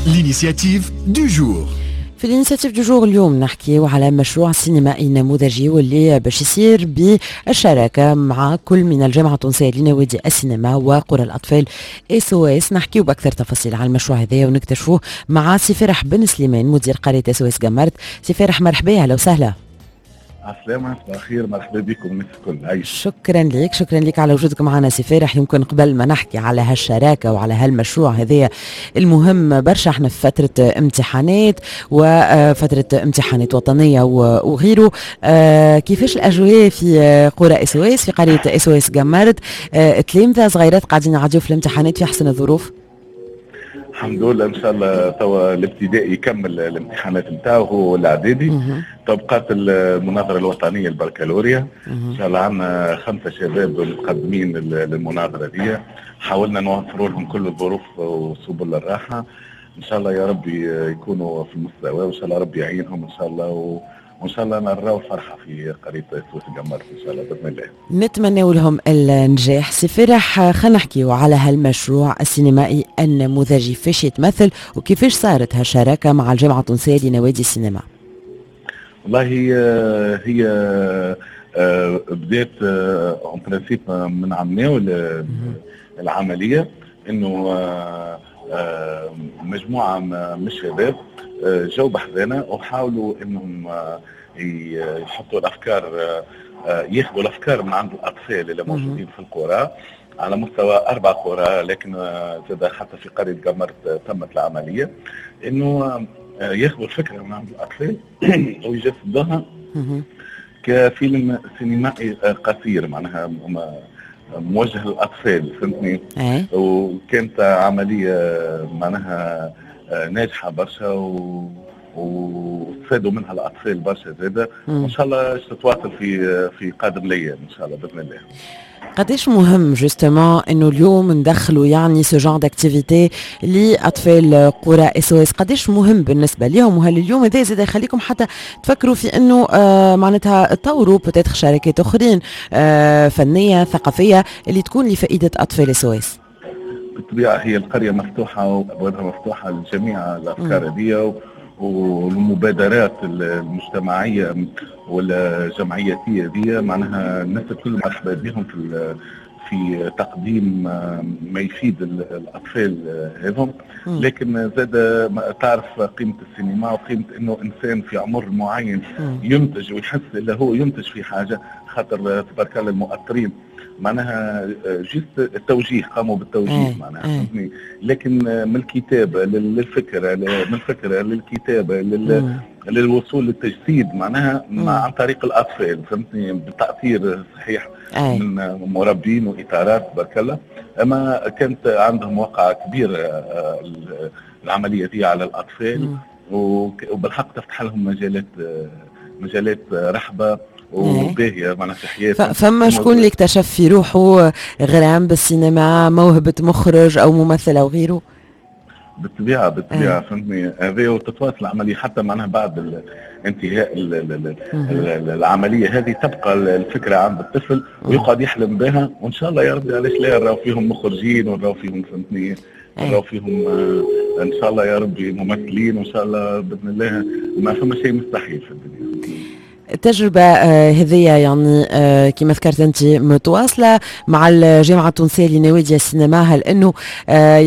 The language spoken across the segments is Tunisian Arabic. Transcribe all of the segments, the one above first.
L'initiative du jour. في l'initiative du jour اليوم نحكيو على مشروع سينمائي نموذجي واللي باش يصير بالشراكة مع كل من الجامعة التونسية لنوادي السينما وقرى الأطفال SOS. نحكيو بأكثر تفاصيل على المشروع هذا ونكتشفوه مع سي فرح بن سليمان، مدير قرية SOS قمرت. سي فرح، مرحبا، اهلا وسهلا. عسلامة، صباح الخير، مرحبا بكم الناس الكل، عايش. شكرا لك، شكرا لك على وجودك معنا سي فرح. يمكن قبل ما نحكي على هالشراكة وعلى هالمشروع هذايا المهم برشا، احنا في فترة امتحانات وفترة امتحانات وطنية وغيره، كيفاش الأجواء في قرى SOS، في قرية SOS قمرت؟ تلامذة صغيرات قاعدين يعديوا في الامتحانات في احسن الظروف؟ الحمد لله، ان شاء الله توا الابتدائي يكمل الامتحانات نتاعو هو الاعدادي، تبقات المناظرة الوطنيه، البكالوريا. ان شاء الله عندنا خمسة شباب متقدمين للمناظره دي، حاولنا نوفروا لهم كل الظروف وسبل الراحه. ان شاء الله يا ربي يكونوا في المستوى، وان شاء الله ربي يعينهم ان شاء الله، وان شاء الله نراو فرحه في قرية SOS قمرت ان شاء الله باذن الله. نتمنى لهم النجاح. سي فرح، خلينا نحكيو على هالمشروع السينمائي النموذجي، فاش يتمثل وكيفاش صارت هالشراكه مع الجامعة التونسية لنوادي السينما؟ والله هي بدات en principe من عمناول العمليه، انه مجموعة من الشباب جو بحذانا وحاولوا انهم يحطوا الافكار، ياخذوا الافكار من عند الاطفال اللي موجودين في القرى على مستوى اربع قرى، لكن زاد حتى في قرية قمرت تمت العمليه، انه ياخذوا الفكرة من عند الاطفال ويجسدوها كفيلم سينمائي قصير، معناها موجه للاطفال، فهمتني؟ وكانت عملية معناها ناجحة برشا واستفادوا منها الاطفال برشا زاده، وان شاء الله تتواصل في قادم الايام ان شاء الله باذن الله. قداش مهم justement انه اليوم ندخلوا يعني ce genre d'activité لاطفال قرى SOS؟ قداش مهم بالنسبة لهم؟ وهل اليوم هذا زاد يخليكم حتى تفكروا في انه معناتها تطوروا peut-être شراكات اخرين فنية ثقافية اللي تكون لفائدة اطفال SOS؟ بالطبيعه، هي القرية مفتوحة وابوابها مفتوحة لجميع الافكار هذه والمبادرات المجتمعية والجمعياتيه دي، معناها الناس الكل مرحبا بهم في تقديم ما يفيد الاطفال هذم. لكن زاد تعرف قيمة السينما وقيمه انه انسان في عمر معين ينتج ويحس اللي هو ينتج في حاجه، خاطر تبارك الله المؤطرين معناها juste التوجيه، قاموا بالتوجيه معناها، فهمتني؟ لكن من الكتابة للفكره، من الفكرة للكتابه، للوصول للتجسيد، معناها عن طريق الاطفال، فهمتني؟ بتاثير صحيح من مربين واطارات تبارك الله، اما كانت عندهم وقع كبير العملية دي على الاطفال، وبالحق تفتح لهم مجالات رحبه وباهيه معناها في حياتهم. فما شكون اللي اكتشف في روحه غرام بالسينما، موهبة مخرج او ممثل او غيره؟ بالطبيعه، بالطبيعه، فهمتني؟ هذه وتتواصل العملية حتى معناها بعد انتهاء العملية هذه، تبقى الفكرة عند الطفل ويقعد يحلم بها، وان شاء الله يا ربي علاش لا نراو فيهم مخرجين ونراو فيهم، فهمتني، نراو فيهم ان شاء الله يا ربي ممثلين، وان شاء الله باذن الله ما فما شيء مستحيل في الدنيا. التجربة هذه يعني كما ذكرت أنت متواصلة مع الجامعة التونسية لنوادي السينما، هل أنه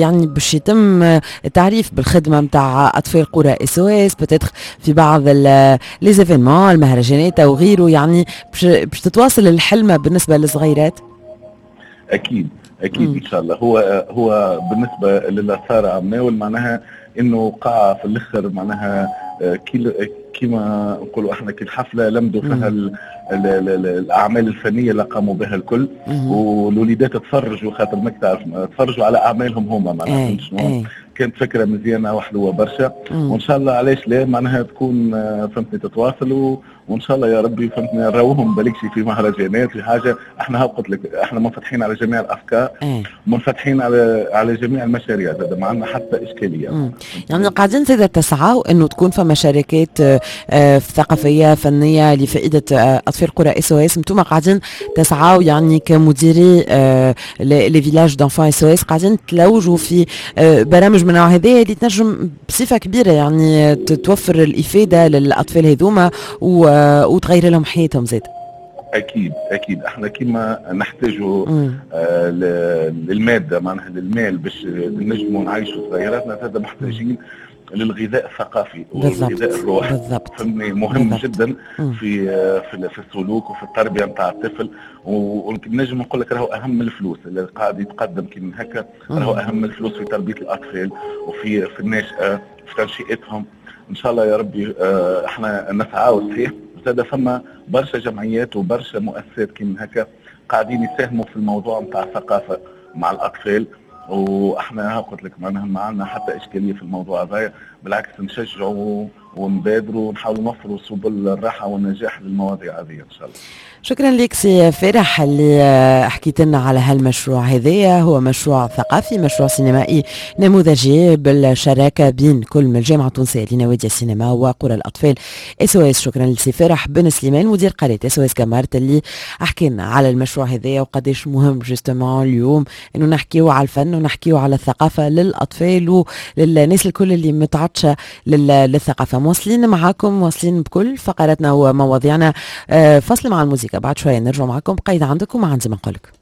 يعني باش يتم التعريف بالخدمة نتاع أطفال قرى SOS peut-être في بعض les événements، المهرجانات أو غيره، يعني باش تتواصل الحلمة بالنسبة للصغيرات؟ اكيد اكيد. ان شاء الله. هو بالنسبة للي صار عمناول معناها انه وقع في الاخر معناها كيما نقولوا احنا كي الحفلة لمدوا فيها ال الاعمال الفنية اللي قاموا بها الكل، والوليدات تفرجوا، خاطر ماك تعرف تفرجوا على اعمالهم هما معناها، فهمت شنو؟ كانت فكرة مزيانه وحلوه برشا، وان شاء الله علاش لا معناها تكون فهمتني تتواصل. وان شاء الله يا ربي فهمتني نراوهم بالكشي في مهرجانات في حاجه. احنا قلت لك احنا منفتحين على جميع الافكار، منفتحين على جميع المشاريع، هذا ما عندنا حتى اشكاليه. يعني قاعدين زاد تسعوا انه تكون فما شراكات ثقافية فنية لفائدة اطفال قرى SOS. انتم قاعدين تسعوا يعني كمديري les villages d'enfants SOS، قاعدين تلوجوا في برامج من النوع هذا اللي تنجم بصفة كبيرة يعني توفر الافادة للاطفال هذوما وتغير لهم حياتهم زاد. اكيد اكيد، احنا كما نحتاجوا للماده، معناها للمال باش نجموا نعيشوا صغيراتنا، هذا محتاجين للغذاء الثقافي والغذاء الروحي. فهمني، مهم جدا في السلوك وفي التربية نتاع الطفل، ونجم نقول لك راهو اهم من الفلوس اللي قاعد يتقدم كي من هكا، راهو اهم من الفلوس في تربيه الاطفال وفي الناشئه، في تنشئتهم. ان شاء الله يا ربي احنا نسعى. صحيح زاد فما برشا جمعيات وبرشا مؤسسات كي من هكا قاعدين يساهموا في الموضوع نتاع الثقافة مع الاطفال، واحنا قلت لك معناها ما عندنا حتى اشكالية في الموضوع هذا، بالعكس نشجعوا ونبادروا ونحاولوا نوفروا سبل الراحة والنجاح للمواضيع هذه ان شاء الله. شكرا لك سي فرح اللي حكيت لنا على هالمشروع هذايا، هو مشروع ثقافي، مشروع سينمائي نموذجي بالشراكة بين كل من الجامعة التونسية لنوادي السينما وقرى الاطفال SOS. شكرا لسي فرح بن سليمان مدير قرية SOS قمرت اللي حكي لنا على المشروع هذايا وقداش مهم justement اليوم انه نحكيو على الفن ونحكيو على الثقافة للاطفال وللناس الكل اللي متعطشه للثقافه. مواصلين معاكم، مواصلين بكل فقراتنا ومواضيعنا. فاصل مع الموسيقى، بعد شوية نرجع معكم. قيد عندكم وعندي ما نقولك.